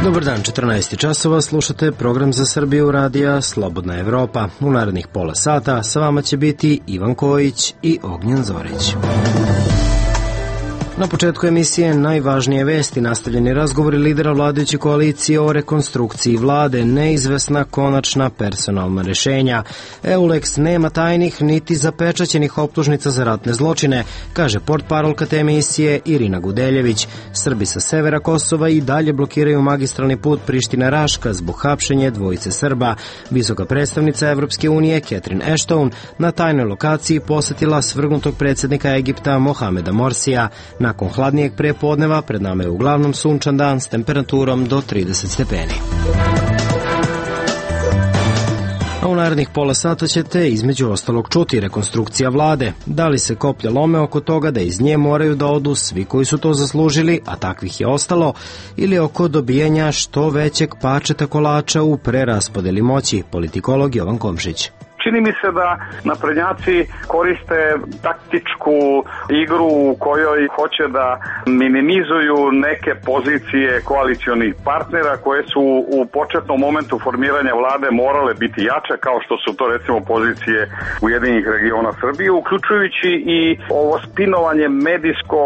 Dobar dan, 14 časova, slušate program za Srbiju radija Slobodna Evropa. U narednih pola sata sa vama će biti Ivan Kojić i Ognjen Zorić. Na početku emisije najvažnije vesti, nastavljeni razgovori lidera vladajuće koalicije o rekonstrukciji vlade, neizvesna konačna personalna rešenja. EULEX nema tajnih niti zapečaćenih optužnica za ratne zločine, kaže portparolka te emisije Irina Gudeljević. Srbi sa severa Kosova i dalje blokiraju magistralni put Priština-Raška zbog hapšenja dvojice Srba. Visoka predstavnica Evropske unije Catherine Ashton na tajnoj lokaciji posetila svrgnutog predsjednika Egipta Mohameda Morsija. Nakon hladnijeg prepodneva pred nama je uglavnom sunčan dan s temperaturom do 30 stepeni. A u narednih pola sata ćete između ostalog čuti rekonstrukcija vlade. Da li se koplja lome oko toga da iz nje moraju da odu svi koji su to zaslužili, a takvih je ostalo, ili oko dobijanja što većeg pačeta kolača u preraspodeli moći, politikolog Jovan Komšić. Čini mi se da naprednjaci koriste taktičku igru u kojoj hoće da minimizuju neke pozicije koalicionih partnera koje su u početnom momentu formiranja vlade morale biti jače, kao što su to recimo pozicije Ujedinjenih regiona Srbije, uključujući i ovo spinovanje medijsko.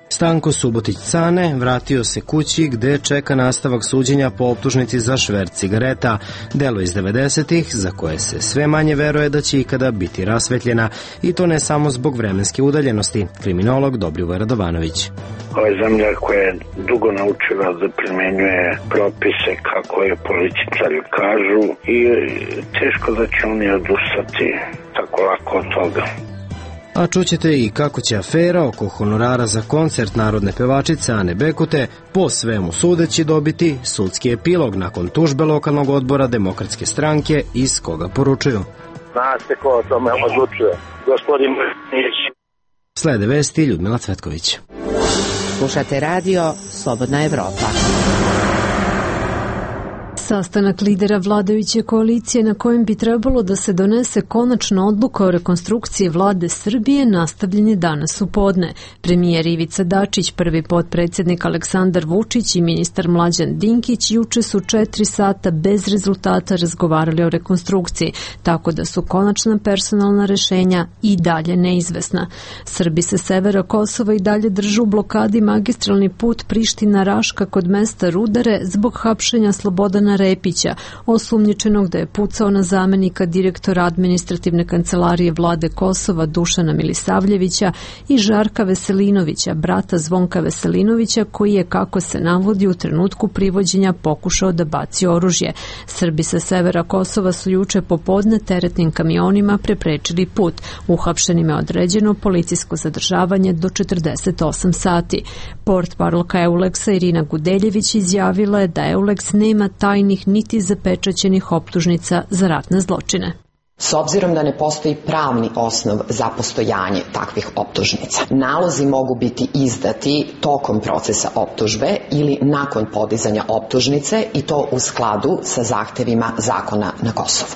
Stanko Subotić-Cane vratio se kući gde čeka nastavak suđenja po optužnici za šverc cigareta, delo iz 90-ih za koje se sve manje veruje da će ikada biti rasvetljena, i to ne samo zbog vremenske udaljenosti. Kriminolog Dobrivoje Radovanović. Ovo je zemlja koja je dugo naučila da primenjuje propise kako je političari kažu i teško da će oni odustati tako lako od toga. A čućete i kako će afera oko honorara za koncert narodne pevačice Ane Bekute po svemu sudeći dobiti sudski epilog nakon tužbe lokalnog odbora Demokratske stranke, iz koga poručuju. Zna se ko o tome odlučuje, gospodin Mrnić. Slede vesti Ljudmila Cvetković. Slušate radio Slobodna Evropa. Sastanak lidera vladajuće koalicije na kojem bi trebalo da se donese konačna odluka o rekonstrukciji vlade Srbije nastavljen je danas u podne. Premijer Ivica Dačić, prvi potpredsjednik Aleksandar Vučić i ministar Mlađan Dinkić juče su 4 sata bez rezultata razgovarali o rekonstrukciji, tako da su konačna personalna rešenja i dalje neizvesna. Srbi sa severa Kosova i dalje držu u blokadi magistralni put Priština-Raška kod mesta Rudare zbog hapšenja Slobodana Repića, osumnjičenog da je pucao na zamenika direktora administrativne kancelarije vlade Kosova Dušana Milisavljevića i Žarka Veselinovića, brata Zvonka Veselinovića, koji je, kako se navodi, u trenutku privođenja pokušao da baci oružje. Srbi sa severa Kosova su juče popodne teretnim kamionima preprečili put. Uhapšenima je određeno policijsko zadržavanje do 48 sati. Portparolka EULEX-a Irina Gudeljević izjavila je da EULEX nema tajnih niti zapečaćenih optužnica za ratne zločine. S obzirom da ne postoji pravni osnov za postojanje takvih optužnica, nalozi mogu biti izdati tokom procesa optužbe ili nakon podizanja optužnice, i to u skladu sa zahtevima zakona na Kosovu.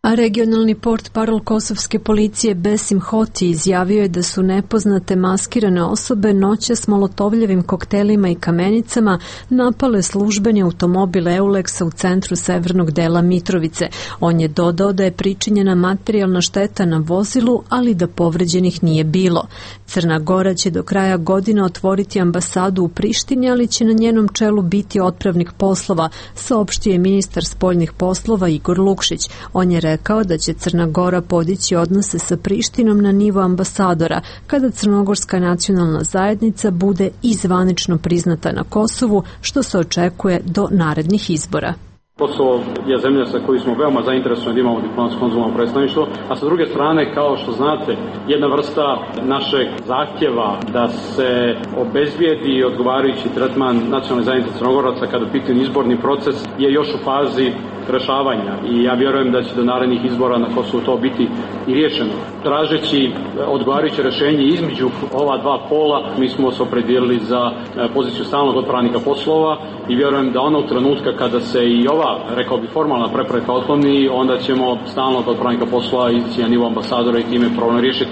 A regionalni portparol kosovske policije Besim Hoti izjavio je da su nepoznate maskirane osobe noćas molotovljevim koktelima i kamenicama napale službeni automobil EULEX-a u centru severnog dela Mitrovice. On je dodao da je pričinjena materijalna šteta na vozilu, ali da povređenih nije bilo. Crna Gora će do kraja godine otvoriti ambasadu u Prištini, ali će na njenom čelu biti otpravnik poslova, saopštio je ministar spoljnih poslova Igor Lukšić. On je rekao da će Crna Gora podići odnose sa Prištinom na nivo ambasadora kada Crnogorska nacionalna zajednica bude i zvanično priznata na Kosovu, što se očekuje do narednih izbora. Kosovo je zemlja sa koju smo veoma zainteresovani da imamo diplomatsko konzularno predstavništvo, a sa druge strane, kao što znate, jedna vrsta našeg zahtjeva da se obezbijedi odgovarajući tretman nacionalne zajednice Crnogoraca kada u pitanju izborni proces je još u fazi rešavanja i ja vjerujem da će do narednih izbora na Kosovu to biti i riješeno. Tražeći odgovarajuće rešenje između ova dva pola, mi smo se opredijelili za poziciju stalnog otpravnika poslova i vjerujem da onog trenutka kada se i ova, rekao bi, formalna prepreka otkloni, onda ćemo stalnog otpravnika poslova ići na nivo ambasadora i time problem riješiti.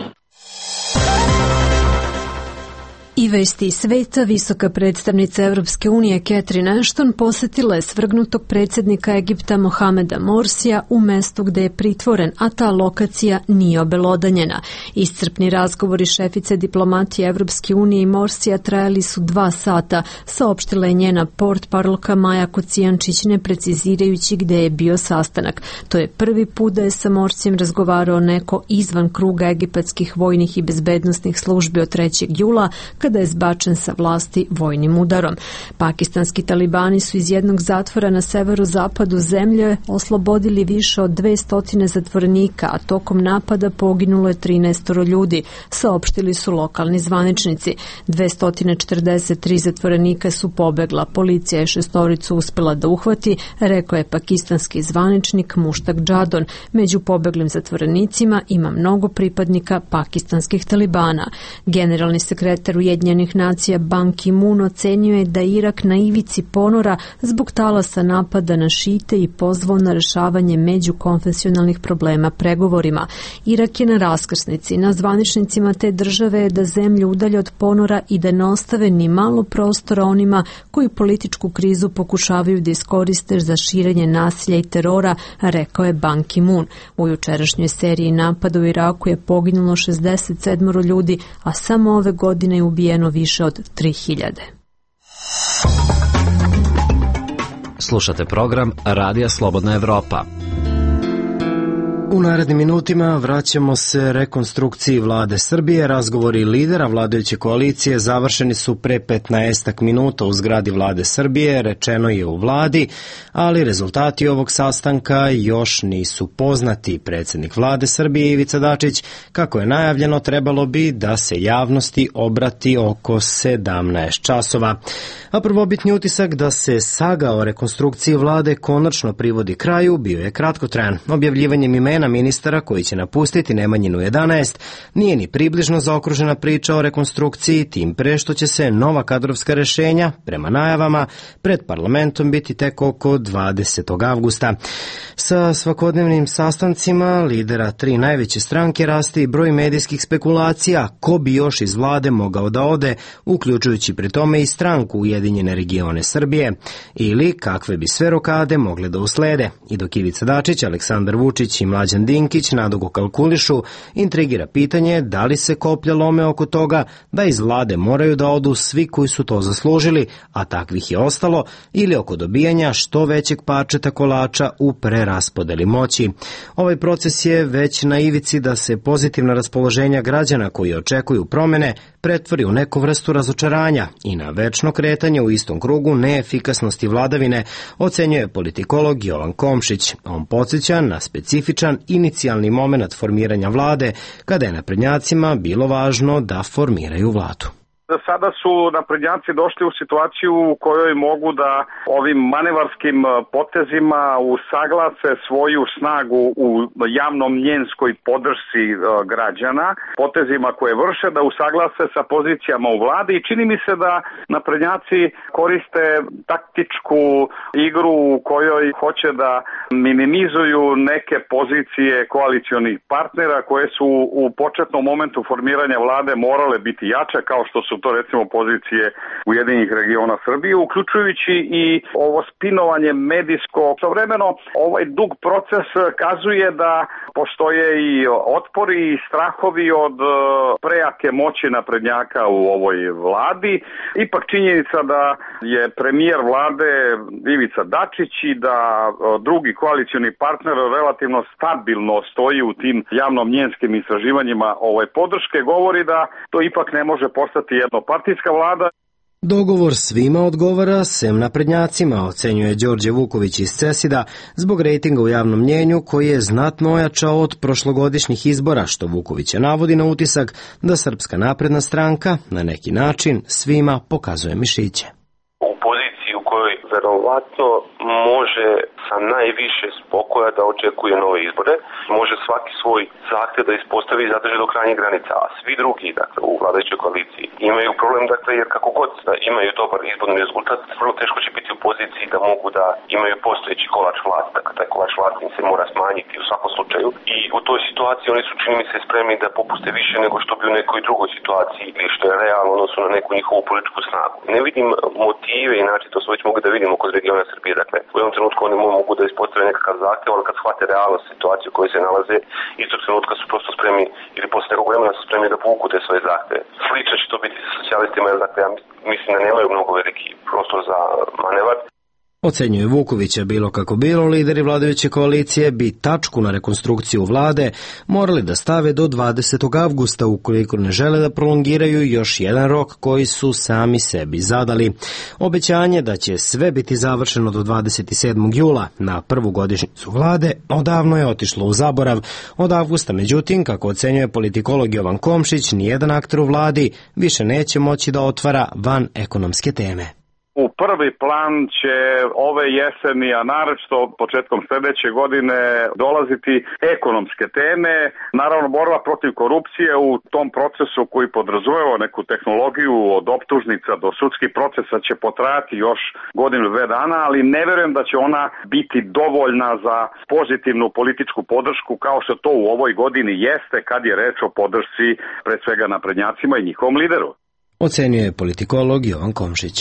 I vesti sveta, visoka predstavnica Evropske unije Catherine Ashton posjetila je svrgnutog predsjednika Egipta Mohameda Morsija u mestu gde je pritvoren, a ta lokacija nije obelodanjena. Iscrpni razgovori šefice diplomatije Evropske unije i Morsija trajali su 2 sata, saopštila je njena portparolka Maja Kocijančić, ne precizirajući gde je bio sastanak. To je prvi put da je sa Morsijem razgovarao neko izvan kruga egipatskih vojnih i bezbednosnih službi od 3. jula, kada je zbačen sa vlasti vojnim udarom. Pakistanski talibani su iz jednog zatvora na severozapadu zemlje oslobodili više od 200 zatvorenika, a tokom napada poginulo je 13 ljudi, saopštili su lokalni zvaničnici. 243 zatvorenika su pobegla, policija je 6 uspjela da uhvati, rekao je pakistanski zvaničnik Mushtaq Jadon. Među pobeglim zatvorenicima ima mnogo pripadnika pakistanskih talibana. Generalni sekretar Ujedinjenih nacija Ban Ki-moon ocenio je da Irak na ivici ponora zbog talasa napada na šite i pozvao na rešavanje međukonfesionalnih problema pregovorima. Irak je na raskrsnici. Na zvaničnicima te države je da zemlju udalje od ponora i da ne ostave ni malo prostora onima koji političku krizu pokušavaju da iskoriste za širenje nasilja i terora, rekao je Ban Ki-moon. U jučerašnjoj seriji napada u Iraku je poginulo 67 ljudi, a samo ove godine je ubijeno više od 3000. Slušate program Radija Slobodna Evropa. U narednim minutima vraćamo se rekonstrukciji vlade Srbije. Razgovori lidera vladajuće koalicije završeni su pre 15 minuta u zgradi vlade Srbije, rečeno je u vladi, ali rezultati ovog sastanka još nisu poznati. Predsjednik vlade Srbije Ivica Dačić, kako je najavljeno, trebalo bi da se javnosti obrati oko 17 časova. A prvobitni utisak da se saga o rekonstrukciji vlade konačno privodi kraju bio je kratkotrajan. Objavljivanjem imena ministara koji će napustiti Nemanjinu 11 nije ni približno zaokružena priča o rekonstrukciji, tim pre što će se nova kadrovska rešenja, prema najavama, pred parlamentom biti tek oko 20. avgusta. Sa svakodnevnim sastancima lidera 3 najveće stranke raste i broj medijskih spekulacija ko bi još iz vlade mogao da ode, uključujući pri tome i stranku Ujedinjene regione Srbije, ili kakve bi sve rokade mogle da uslede. I dok Ivica Dačić, Aleksandar Vučić i Mlađan Dinkić nadugo kalkulišu, intrigira pitanje da li se koplja lome oko toga da iz vlade moraju da odu svi koji su to zaslužili, a takvih je ostalo, ili oko dobijanja što većeg parčeta kolača u preraspodeli moći. Ovaj proces je već na ivici da se pozitivna raspoloženja građana koji očekuju promene pretvori u neku vrstu razočaranja i na večno kretanje u istom krugu neefikasnosti vladavine, ocenjuje politikolog Jovan Komšić. On podsjeća na specifičan inicijalni moment formiranja vlade, kada je naprednjacima bilo važno da formiraju vladu. Sada su naprednjaci došli u situaciju u kojoj mogu da ovim manevarskim potezima usaglase svoju snagu u javno-mnjenskoj podršci građana, potezima koje vrše, da usaglase sa pozicijama u vladi, i čini mi se da naprednjaci koriste taktičku igru u kojoj hoće da minimizuju neke pozicije koalicionih partnera koje su u početnom momentu formiranja vlade morale biti jače, kao što su to recimo pozicije Ujedinjenih regiona Srbije, uključujući i ovo spinovanje medijsko. Istovremeno ovaj dug proces kazuje da postoje i otpori i strahovi od prejake moći naprednjaka u ovoj vladi. Ipak činjenica da je premijer vlade Ivica Dačić i da drugi koalicioni partner relativno stabilno stoji u tim javno-mnjenskim istraživanjima podrške, govori da to ipak ne može postati jednopartijska vlada. Dogovor svima odgovara, sem naprednjacima, ocenjuje Đorđe Vuković iz CESID-a, zbog rejtinga u javnom mnjenju koji je znatno ojačao od prošlogodišnjih izbora, što Vukovića navodi na utisak da Srpska napredna stranka na neki način svima pokazuje mišiće. U poziciji u kojoj verovatno može sa najviše spokoja da očekuje nove izbore, može svaki svoj zahtev da ispostavi i zadrži do krajnjih granica, a svi drugi, dakle, u vladajućoj koaliciji imaju problem, dakle, jer kako god da imaju dobar izborni rezultat, vrlo teško će biti u poziciji da mogu da imaju postojeći kolač vlasti, dakle, taj kolač vlasti im se mora smanjiti u svakom slučaju i u toj situaciji oni su, čini mi se, spremni da popuste više nego što bi u nekoj drugoj situaciji ili što je realno odnosno na neku njihovu političku snagu. Ne vidim motive i način, to smo već mogli da vidimo kod regiona Srbije, dakle, u jednom trenutku oni mogu da ispostavljaju nekakav zahtev, ali kad shvate realnost situaciju u kojoj se nalaze, istog trenutka su prosto spremni ili posle nekog vremena su spremni da povuku te svoje zahteve. Slično će to biti sa socijalistima, jer dakle, ja mislim da nemaju mnogo veliki prostor za manevar. Ocenjuje Vukovića, bilo kako bilo, lideri vladajuće koalicije bi tačku na rekonstrukciju vlade morali da stave do 20. avgusta ukoliko ne žele da prolongiraju još jedan rok koji su sami sebi zadali. Obećanje da će sve biti završeno do 27. jula na prvu godišnjicu vlade odavno je otišlo u zaborav. Od avgusta, međutim, kako ocenjuje politikolog Jovan Komšić, nijedan akter u vladi više neće moći da otvara van ekonomske teme. U prvi plan će ove jeseni, a naročito početkom sledeće godine dolaziti ekonomske teme. Naravno, borba protiv korupcije u tom procesu koji podrazumeva neku tehnologiju od optužnica do sudskih procesa će potrajati još godinu, 2 dana, ali ne verujem da će ona biti dovoljna za pozitivnu političku podršku kao što to u ovoj godini jeste kad je reč o podršci pred svega naprednjacima i njihovom lideru. Ocenjuje politikolog Jovan Komšić.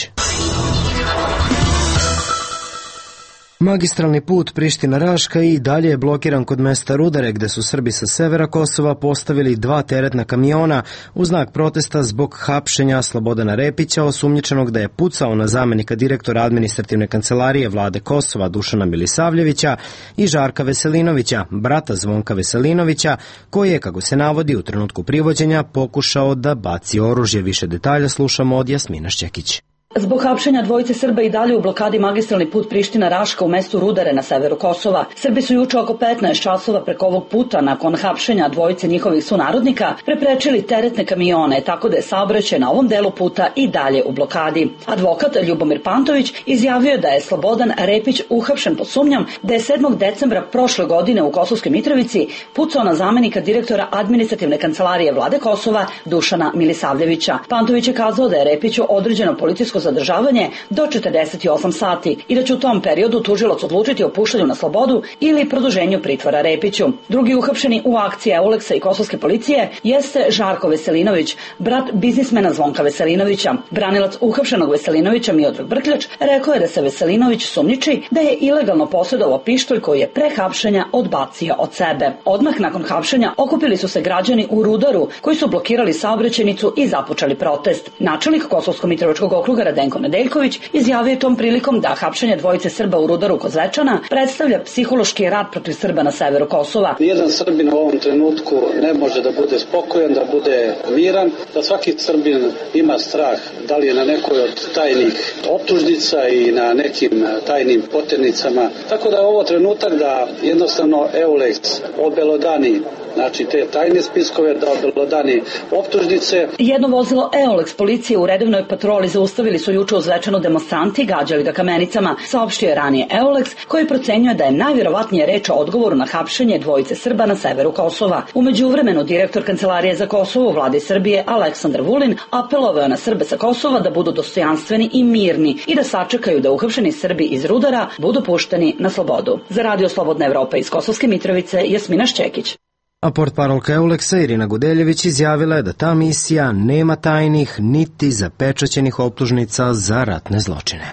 Magistralni put Priština-Raška i dalje je blokiran kod mesta Rudare, gde su Srbi sa severa Kosova postavili 2 teretna kamiona u znak protesta zbog hapšenja Slobodana Repića, osumnjičenog da je pucao na zamenika direktora administrativne kancelarije vlade Kosova Dušana Milisavljevića i Žarka Veselinovića, brata Zvonka Veselinovića, koji je, kako se navodi, u trenutku privođenja pokušao da baci oružje. Više detalja slušamo od Jasmina Šćekić. Zbog hapšenja dvojice Srba i dalje u blokadi magistralni put Priština-Raška u mestu Rudare na severu Kosova. Srbi su juče oko 15 časova preko ovog puta, nakon hapšenja dvojice njihovih sunarodnika, preprečili teretne kamione, tako da je saobraćaj na ovom delu puta i dalje u blokadi. Advokat Ljubomir Pantović izjavio da je Slobodan Repić uhapšen pod sumnjom da je 7. decembra prošle godine u Kosovskoj Mitrovici pucao na zamenika direktora administrativne kancelarije vlade Kosova Dušana Milisavljevića. Pantović je kazao da je Repiću određeno policijsko zadržavanje do 48 sati i da će u tom periodu tužilac odlučiti o puštanju na slobodu ili produženju pritvora Repiću. Drugi uhapšeni u akciji Euleksa i kosovske policije jeste Žarko Veselinović, brat biznismena Zvonka Veselinovića. Branilac uhapšenog Veselinovića Miodrag Brkljač rekao je da se Veselinović sumnjiči da je ilegalno posjedovao pištolj koji je pre hapšenja odbacio od sebe. Odmah nakon hapšenja okupili su se građani u Rudaru koji su blokirali saobraćajnicu i započeli protest. Načelnik Kosovsko-Mitrovičkog okruga Radenko Nedeljković izjavio tom prilikom da hapšenje dvojice Srba u Rudaru kod Zvečana predstavlja psihološki rat protiv Srba na severu Kosova. Nijedan Srbin u ovom trenutku ne može da bude spokojan, da bude miran, da svaki Srbin ima strah, da li je na nekoj od tajnih optužnica i na nekim tajnim poternicama. Tako da je ovo trenutak da jednostavno Euleks obelodani, znači te tajne spiskove, da obelodani optužnice. Jedno vozilo Euleks policije u redovnoj patroli zaustavili su juče u Zvečanu demonstranti i gađali ga kamenicama, saopštio je ranije Euleks, koji procenjuje da je najvjerovatnije reč o odgovoru na hapšenje dvojice Srba na severu Kosova. U međuvremenu direktor Kancelarije za Kosovo u vladi Srbije Aleksandar Vulin apelovao na Srbe sa Kosova da budu dostojanstveni i mirni i da sačekaju da uhapšeni Srbi iz Rudara budu pušteni na slobodu. Za Radio Slobodna Evropa iz Kosovske Mitrovice, Jasmina Šćekić. A portparolka Euleksa Irina Gudeljević izjavila je da ta misija nema tajnih niti zapečaćenih optužnica za ratne zločine.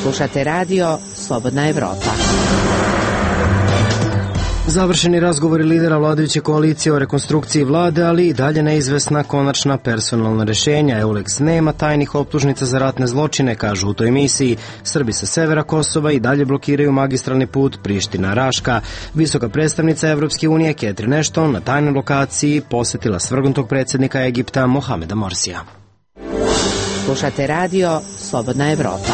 Slušate Radio Slobodna Evropa. Završeni razgovori lidera vladajuće koalicije o rekonstrukciji vlade, ali i dalje neizvesna konačna personalna rešenja. Euleks nema tajnih optužnica za ratne zločine, kažu u toj misiji. Srbi sa severa Kosova i dalje blokiraju magistralni put Priština-Raška. Visoka predstavnica Evropske unije Catherine Ashton na tajnoj lokaciji posetila svrgnutog predsjednika Egipta Mohameda Morsija. Slušate Radio Slobodna Evropa.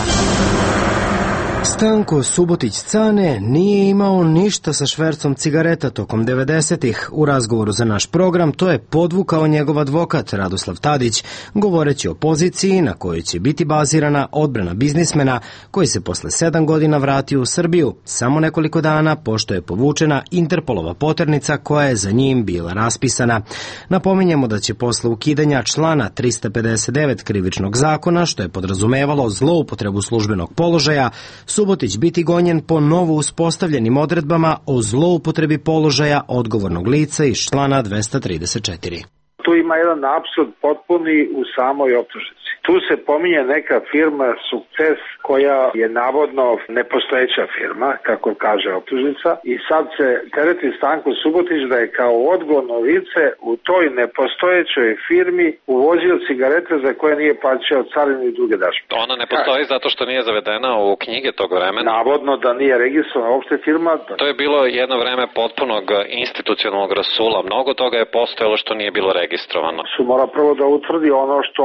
Stanko Subotić-Cane nije imao ništa sa švercom cigareta tokom 90-ih. U razgovoru za naš program to je podvukao njegov advokat Radoslav Tadić, govoreći o poziciji na kojoj će biti bazirana odbrana biznismena koji se posle 7 godina vratio u Srbiju, samo nekoliko dana pošto je povučena Interpolova poternica koja je za njim bila raspisana. Napominjemo da će posle ukidanja člana 359 krivičnog zakona, što je podrazumevalo zloupotrebu službenog položaja, Subotić biti gonjen po novo uspostavljenim odredbama o zloupotrebi položaja odgovornog lica iz člana 234. Tu ima jedan apsurd potpuni u samoj optužnici. Tu se pominje neka firma Sukces koja je navodno nepostojeća firma, kako kaže optužnica, i sad se tereti Stanko Subotić da je kao odgovorno lice u toj nepostojećoj firmi uvozio cigarete za koje nije plaćao carinu i druge dažbe. Ona ne postoji zato što nije zavedena u knjige tog vremena. Navodno da nije registrovana uopšte firma. To je bilo jedno vreme potpunog institucionalnog rasula. Mnogo toga je postojalo što nije bilo registrovano. Su mora prvo da utvrdi ono što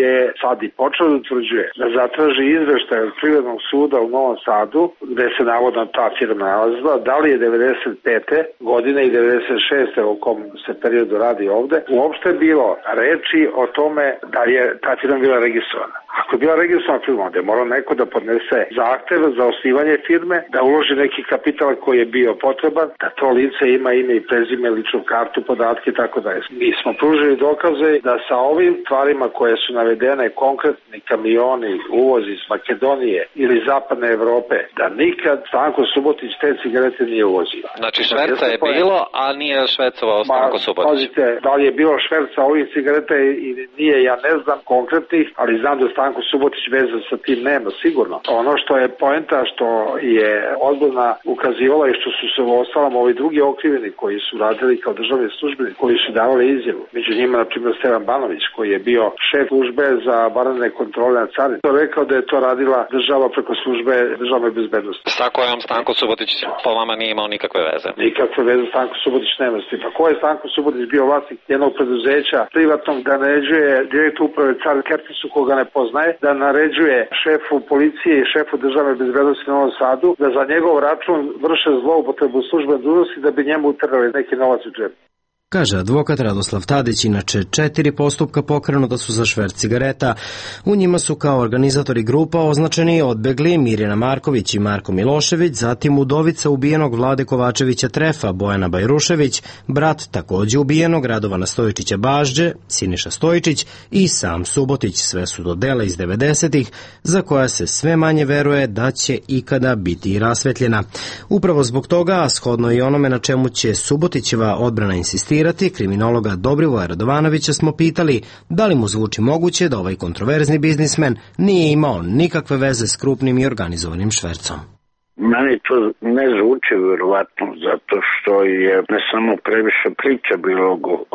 je sad i počeo da utvrđuje, da zatraži izveštaj od Privrednog suda u Novom Sadu, gde se navodno ta firma nalazila, da li je 95. godine i 96. u kom se periodu radi ovde, uopšte bilo reči o tome da je ta firma bila registrovana. Ako je bila registrovana firma, onda je morao neko da podnese zahtev za osnivanje firme, da uloži neki kapital koji je bio potreban, da to lice ima ime i prezime, ličnu kartu, podatke i tako dalje. Mi smo pružili dokaze da sa ovim stvarima koje su navedene, konkretni kamioni, uvoz iz Makedonije ili zapadne Evrope, da nikad Stanko Subotić te cigarete nije uvozio. Znači šverca je bilo, a nije švercovao Stanko Subotić. Pazite, da li je bilo šverca ovih cigareta ili nije, ja ne znam konkretnih, ali znam da Stanko Subotić veze sa tim nema, sigurno. Ono što je poenta, što je odbrana ukazivala i što su se u ostalom ovi drugi okrivljeni koji su radili kao državni službenici, koji su davali izjavu. Među njima, na primjer, Stevan Banović, koji je bio šef službe za vanredne kontrole na carini. To je rekao da je to radila država preko službe državne bezbednosti. Sa kojom Stanko Subotić po vama nije imao nikakve veze? Nikakve veze Stanko Subotić nema s tim. Pa ko je Stanko Subotić bio vlasnik jednog preduzeća privatnog da naređuje direktor uprave Car Kertisu koga ne poznaje, da naređuje šefu policije i šefu državne bezbednosti na Novom Sadu da za njegov račun vrše zloupotrebu službene dužnosti da bi njemu uterali neki novac u džep. Kaže advokat Radoslav Tadić, inače 4 postupka pokrenuta su za šverc cigareta. U njima su kao organizatori grupa označeni odbegli Mirjana Marković i Marko Milošević, zatim udovica ubijenog Vlade Kovačevića Trefa, Bojana Bajrušević, brat takođe ubijenog Radovana Stojičića Bažđe, Siniša Stojičić i sam Subotić. Sve su do dela iz 90-ih za koja se sve manje veruje da će ikada biti i rasvetljena. Upravo zbog toga, a shodno i onome na čemu će Subotićeva odbrana insistirati, kriminologa Dobrivoja Radovanovića smo pitali da li mu zvuči moguće da ovaj kontroverzni biznismen nije imao nikakve veze s krupnim i organizovanim švercom. Meni to ne zvuči vjerovatno zato što je ne samo previše priča bilo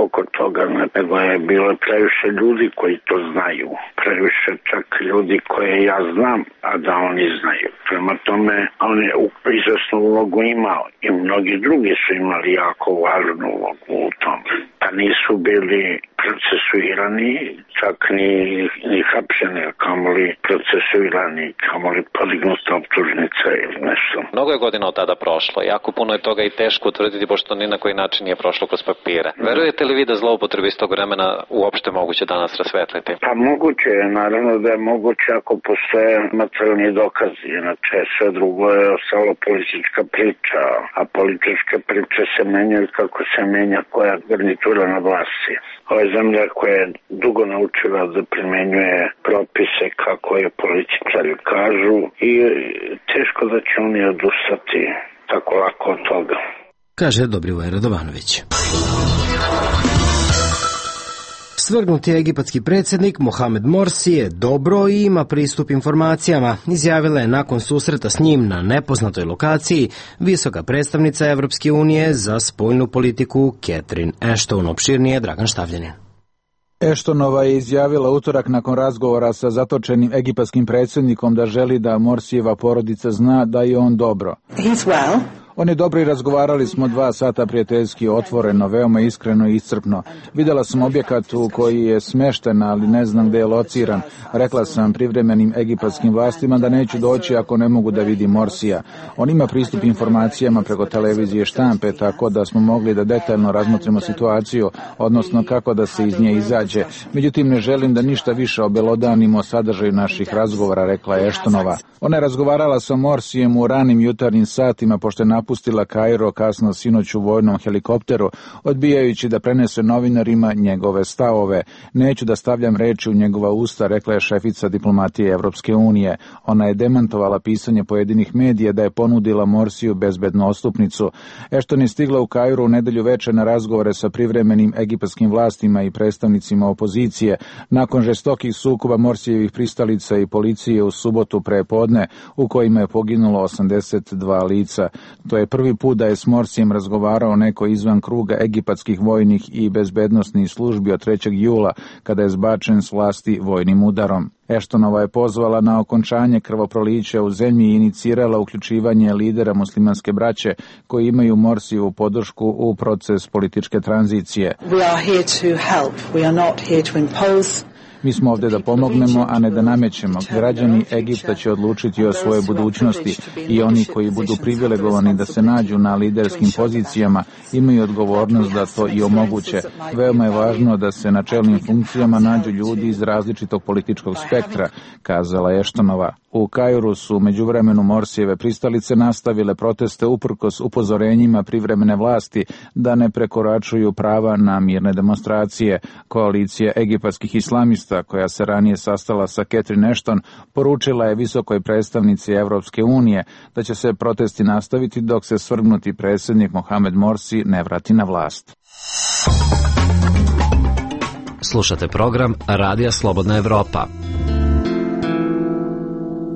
oko toga, nego je bilo previše ljudi koji to znaju. Previše čak ljudi koje ja znam, a da oni znaju. Prema tome, on je izvesnu ulogu imao i mnogi drugi su imali jako važnu ulogu u tome. Pa nisu bili procesuirani, čak ni hapšeni, kamoli procesuirani, kamoli podignuta optužnica ili nešto. Mnogo je godina od tada prošlo, jako puno je toga i teško utvrditi, pošto ni na koji način nije prošlo kroz papire. Verujete li vi da zloupotrebe iz tog vremena uopšte moguće danas rasvetliti? Pa moguće je, naravno da je moguće ako postoje materijalni dokazi, inače sve drugo je ostalo politička priča, a političke priče se menjaju kako se menja koja garnitura na vlasti. Ovo je zemlja koja je dugo naučila da primenjuje propise kako je političari kažu i teško da će oni odustati tako lako od toga. Kaže Dobrivoje Radovanović. Svrgnuti egipatski predsjednik Mohamed Morsi je dobro i ima pristup informacijama, izjavila je nakon susreta s njim na nepoznatoj lokaciji visoka predstavnica Evropske unije za spoljnu politiku Catherine Ashton. Opširnije Dragan Štavljanin. Ashtonova je izjavila utorak nakon razgovora sa zatočenim egipatskim predsjednikom da želi da Morsijeva porodica zna da je on dobro. On je dobro i razgovarali smo 2 sata prijateljski, otvoreno, veoma iskreno i iscrpno. Videla sam objekat u koji je smešten, ali ne znam gde je lociran. Rekla sam privremenim egipatskim vlastima da neću doći ako ne mogu da vidim Morsija. On ima pristup informacijama preko televizije štampe, tako da smo mogli da detaljno razmotrimo situaciju, odnosno kako da se iz nje izađe. Međutim, ne želim da ništa više obelodanimo o sadržaju naših razgovora, rekla je Eštonova. Ona je razgovarala sa Morsijem u ranim jutarnjim satima, pošto je napustila Kairo kasno sinoć u vojnom helikopteru, odbijajući da prenese novinarima njegove stavove. Neću da stavljam reči u njegova usta, rekla je šefica diplomatije Evropske unije. Ona je demantovala pisanje pojedinih medija da je ponudila Morsiju bezbednu odstupnicu. Ešton je stigla u Kairu u nedelju veče na razgovore sa privremenim egipatskim vlastima i predstavnicima opozicije. Nakon žestokih sukoba Morsijevih pristalica i policije u subotu prepodne, u kojima je poginulo 82 lica. To je prvi put da je s Morsijem razgovarao neko izvan kruga egipatskih vojnih i bezbednosnih službi od 3. jula, kada je zbačen s vlasti vojnim udarom. Eštonova je pozvala na okončanje krvoprolića u zemlji i inicirala uključivanje lidera muslimanske braće koji imaju Morsijevu podršku u proces političke tranzicije. Mi smo ovdje da pomognemo, a ne da namećemo. Građani Egipta će odlučiti o svojoj budućnosti i oni koji budu privilegovani da se nađu na liderskim pozicijama imaju odgovornost da to i omoguće. Veoma je važno da se na čelnim funkcijama nađu ljudi iz različitog političkog spektra, kazala je Eštonova. U Kairu su u međuvremenu Morsijeve pristalice nastavile proteste uprkos upozorenjima privremene vlasti da ne prekoračuju prava na mirne demonstracije. Koalicija egipatskih islamista, koja se ranije sastala sa Catherine Ashton, poručila je visokoj predstavnici Evropske unije da će se protesti nastaviti dok se svrgnuti predsjednik Mohamed Morsi ne vrati na vlast. Slušate program Radija Slobodna Evropa.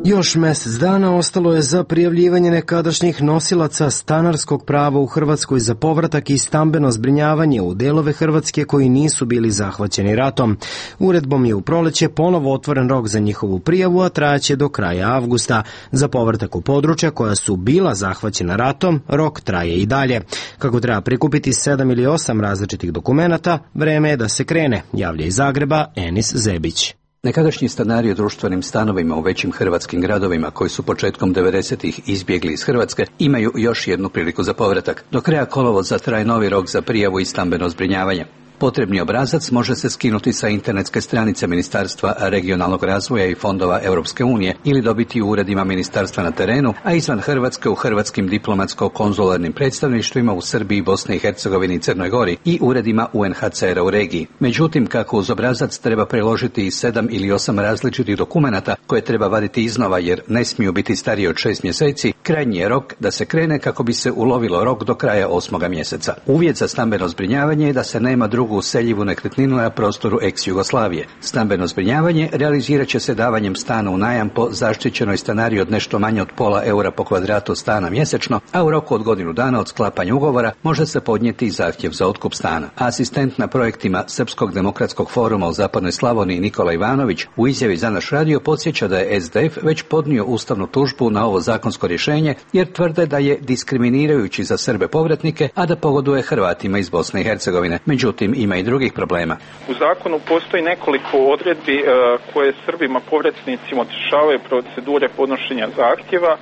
Još mjesec dana ostalo je za prijavljivanje nekadašnjih nosilaca stanarskog prava u Hrvatskoj za povratak i stambeno zbrinjavanje u delove Hrvatske koji nisu bili zahvaćeni ratom. Uredbom je u proleće ponovo otvoren rok za njihovu prijavu, a trajaće do kraja avgusta. Za povratak u područja koja su bila zahvaćena ratom, rok traje i dalje. Kako treba prikupiti 7 ili 8 različitih dokumenata, vreme je da se krene, javlja iz Zagreba Enis Zebić. Nekadašnji stanari u društvenim stanovima u većim hrvatskim gradovima koji su početkom 90-ih izbjegli iz Hrvatske imaju još jednu priliku za povratak. Do kraja kolovoza traje novi rok za prijavu i stambeno zbrinjavanje. Potrebni obrazac može se skinuti sa internetske stranice Ministarstva regionalnog razvoja i fondova Europske unije ili dobiti u uredima ministarstva na terenu, a izvan Hrvatske u hrvatskim diplomatsko-konzularnim predstavništvima u Srbiji, Bosni i Hercegovini i Crnoj Gori i uredima UNHCR-a u regiji. Međutim, kako uz obrazac treba preložiti i 7 ili 8 različitih dokumenata koje treba vaditi iznova jer ne smiju biti stariji od 6 mjeseci, krajnji je rok da se krene kako bi se ulovilo rok do kraja 8. mjeseca. Uvjet za stambeno zbrinjavanje je da se nema drugu useljivu nekretninu na prostoru ex-Jugoslavije. Stambeno zbrinjavanje realizirat će se davanjem stana u najam po zaštićenoj stanari od nešto manje od €0,5 po kvadratu stana mjesečno, a u roku od godinu dana od sklapanja ugovora može se podnijeti zahtjev za otkup stana. Asistent na projektima Srpskog demokratskog foruma u Zapadnoj Slavoniji Nikola Ivanović u izjavi za naš radio podsjeća da je SDF već podnio ustavnu tužbu na ovo zakonsko rješenje jer tvrde da je diskriminirajući za Srbe povratnike, a da pogoduje Hrvatima iz Bosne i Hercegovine. Međutim, ima i drugih problema. U zakonu postoji nekoliko odredbi koje Srbima povratnicima otežavaju procedure podnošenja zahtjeva,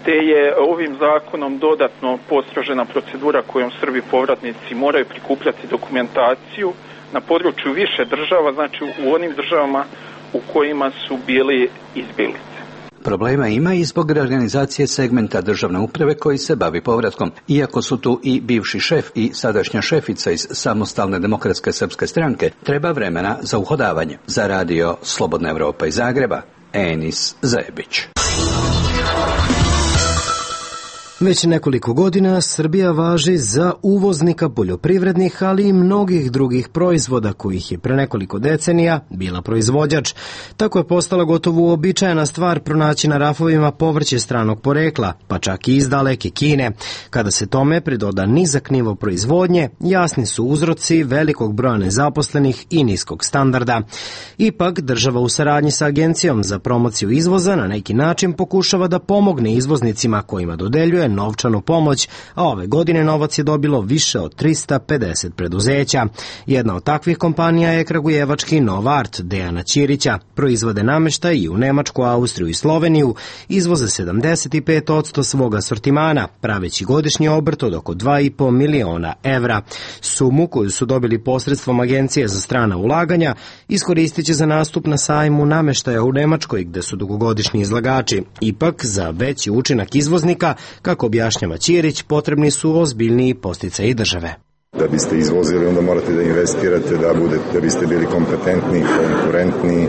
te je ovim zakonom dodatno postrožena procedura kojom Srbi povratnici moraju prikupljati dokumentaciju na području više država, znači u onim državama u kojima su bili izbjeglice. Problema ima i zbog reorganizacije segmenta državne uprave koji se bavi povratkom. Iako su tu i bivši šef i sadašnja šefica iz Samostalne demokratske srpske stranke, treba vremena za uhodavanje. Za radio Slobodna Evropa iz Zagreba, Enis Zebić. Već nekoliko godina Srbija važi za uvoznika poljoprivrednih, ali i mnogih drugih proizvoda kojih je pre nekoliko decenija bila proizvođač. Tako je postala gotovo uobičajena stvar pronaći na rafovima povrće stranog porekla, pa čak i iz daleke Kine. Kada se tome pridoda nizak nivo proizvodnje, jasni su uzroci velikog broja nezaposlenih i niskog standarda. Ipak, država u saradnji sa Agencijom za promociju izvoza na neki način pokušava da pomogne izvoznicima kojima dodeljuje je novčanu pomoć, a ove godine novac je dobilo više od 350 preduzeća. Jedna od takvih kompanija je kragujevački Novart Dejana Ćirića. Proizvode nameštaj i u Nemačku, Austriju i Sloveniju, izvoze 75% svog asortimana, praveći godišnji obrt od oko 2,5 miliona evra. Sumu koju su dobili posredstvom Agencije za strana ulaganja iskoristit će za nastup na sajmu nameštaja u Nemačkoj, gde su dugogodišnji izlagači. Ipak, za veći učinak izvoznika, kako objašnjava Ćirić, potrebni su ozbiljniji podsticaji države. Da biste izvozili, onda morate da investirate, da biste bili kompetentni, konkurentni,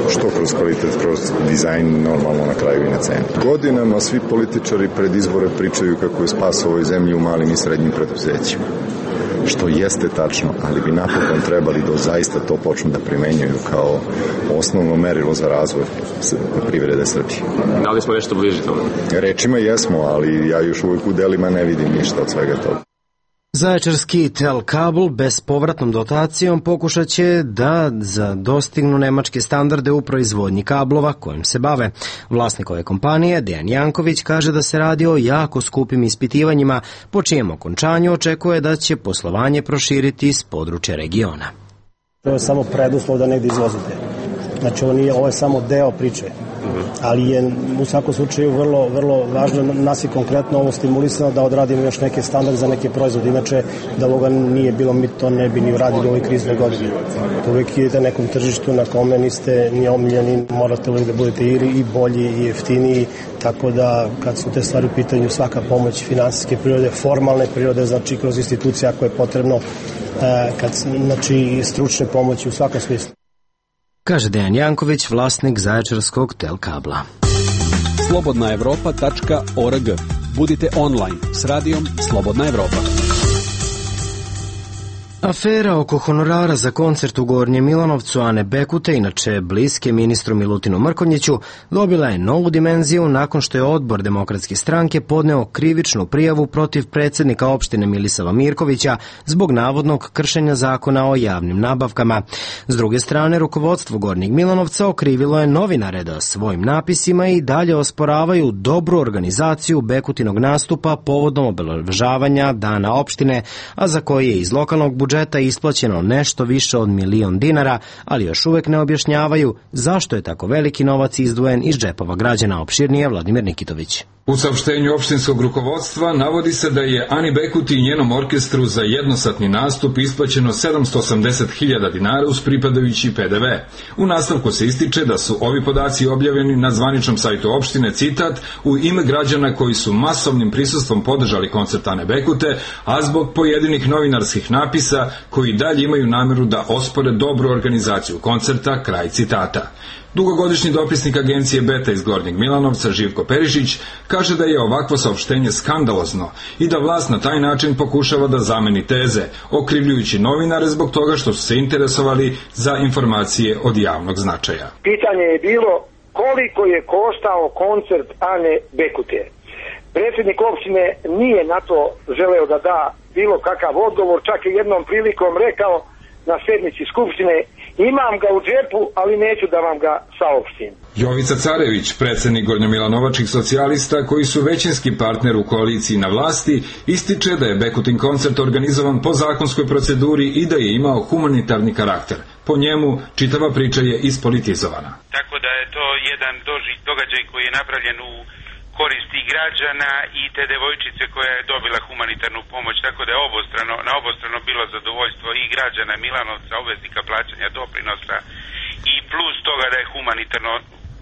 što kroz kvalitet, kroz dizajn, normalno na kraju i na cenu. Godinama svi političari pred izbore pričaju kako je spas ovoj zemlji u malim i srednjim preduzećima. Što jeste tačno, ali bi napokon trebali da zaista to počnu da primenjuju kao osnovno merilo za razvoj privrede Srbije. Da li smo nešto bliži tome? Rečima jesmo, ali ja još uvijek u delima ne vidim ništa od svega toga. Zaječarski Telkabel bespovratnom dotacijom pokušat će da dostignu nemačke standarde u proizvodnji kablova kojim se bave. Vlasnik ove kompanije, Dejan Janković, kaže da se radi o jako skupim ispitivanjima, po čijem okončanju očekuje da će poslovanje proširiti iz područja regiona. To je samo preduslov da negdje izvozite. Znači ovo je samo deo priče, ali je u svakom slučaju vrlo važno, nas je konkretno ovo stimulisano da odradimo još neke standarde za neke proizvode, inače da ovoga nije bilo, mi to ne bi ni uradili u ovoj kriznoj godini. Uvijek idete na nekom tržištu na kome niste ni omiljeni, morate uvijek da budete i bolji i jeftiniji, tako da kad su te stvari u pitanju, svaka pomoć finansijske prirode, formalne prirode, znači kroz institucije ako je potrebno, znači stručne pomoći u svakom smislu. Kaže Dejan Janković, vlasnik zaječarskog Telkabla. slobodnaevropa.org. Budite online s radijom Slobodna Evropa. Afera oko honorara za koncert u Gornjem Milanovcu Ane Bekute, inače bliske ministru Milutinu Mrkonjiću, dobila je novu dimenziju nakon što je odbor Demokratske stranke podneo krivičnu prijavu protiv predsjednika opštine Milisava Mirkovića zbog navodnog kršenja zakona o javnim nabavkama. S druge strane, rukovodstvo Gornjeg Milanovca okrivilo je novinare da svojim napisima i dalje osporavaju dobru organizaciju Bekutinog nastupa povodom obeležavanja Dana opštine, a za koji je iz lokalnog budžeta isplaćeno nešto više od 1.000.000 dinara, ali još uvek ne objašnjavaju zašto je tako veliki novac izdvojen iz džepova građana. Opširnije Vladimir Nikitović. U saopštenju opštinskog rukovodstva navodi se da je Ani Bekuti i njenom orkestru za jednosatni nastup isplaćeno 780.000 dinara uz pripadajući PDV. U nastavku se ističe da su ovi podaci objavljeni na zvaničnom sajtu opštine, citat, u ime građana koji su masovnim prisustvom podržali koncert Ane Bekute, a zbog pojedinih novinarskih napisa koji dalje imaju nameru da ospore dobru organizaciju koncerta, kraj citata. Dugogodišnji dopisnik agencije Beta iz Gornjeg Milanovca Živko Perišić kaže da je ovakvo saopštenje skandalozno i da vlast na taj način pokušava da zameni teze, okrivljujući novinare zbog toga što su se interesovali za informacije od javnog značaja. Pitanje je bilo koliko je koštao koncert Ane Bekute. Predsjednik opštine nije na to želeo da da bilo kakav odgovor, čak i jednom prilikom rekao na sednici skupštine: imam ga u džepu, ali neću da vam ga saopštim. Jovica Carević, predsjednik Gornjomilanovačkih socijalista, koji su većinski partner u koaliciji na vlasti, ističe da je Bekutin koncert organizovan po zakonskoj proceduri i da je imao humanitarni karakter. Po njemu, čitava priča je ispolitizovana. Tako da je to jedan događaj koji je napravljen u koristi građana i te devojčice koja je dobila humanitarnu pomoć, tako da je na obostrano bilo zadovoljstvo i građana Milanovca, obveznika plaćanja doprinosa, i plus toga da je humanitarno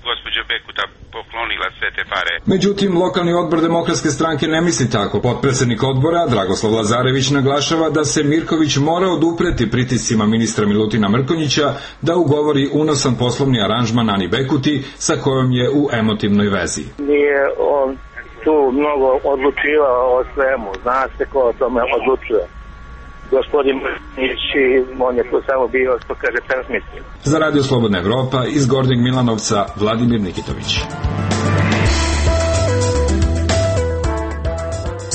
gospođa Bekuta poklonila sve te pare. Međutim, lokalni odbor Demokratske stranke ne misli tako. Potpredsednik odbora, Dragoslav Lazarević, naglašava da se Mirković mora odupreti pritiscima ministra Milutina Mrkonjića da ugovori unosan poslovni aranžman Ani Bekuti sa kojom je u emotivnoj vezi. Nije on tu mnogo odlučivao o svemu, zna se ko o tome odlučuje. Gospodin Mrkonjić, on je tu samo bio, što kaže, transmisija. Za Radio Slobodna Evropa iz Gornjeg Milanovca, Vladimir Nikitović.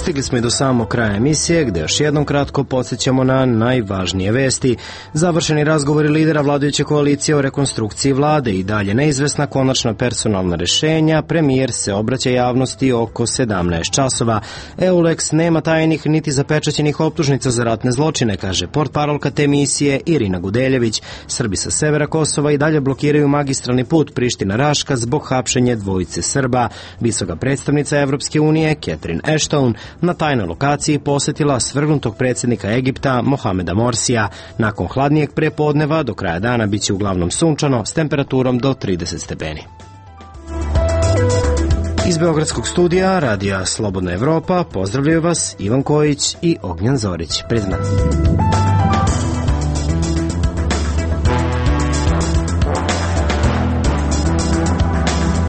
Stigli smo i do samog kraja emisije, gde još jednom kratko podsjećamo na najvažnije vesti. Završeni razgovori lidera vladajuće koalicije o rekonstrukciji vlade i dalje neizvesna konačna personalna rešenja. Premijer se obraća javnosti oko 17 časova. EULEX nema tajnih niti zapečaćenih optužnica za ratne zločine, kaže portparolka te misije Irina Gudeljević. Srbi sa severa Kosova i dalje blokiraju magistralni put Priština-Raška zbog hapšenja dvojice Srba. Visoka predstavnica Evropske unije Catherine Ashton na tajnoj lokaciji posetila svrgnutog predsjednika Egipta Mohameda Morsija. Nakon hladnijeg prepodneva do kraja dana biće uglavnom sunčano s temperaturom do 30 stepeni. Iz Beogradskog studija Radija Slobodna Evropa pozdravljaju vas Ivan Kojić i Ognjan Zorić. Priznan.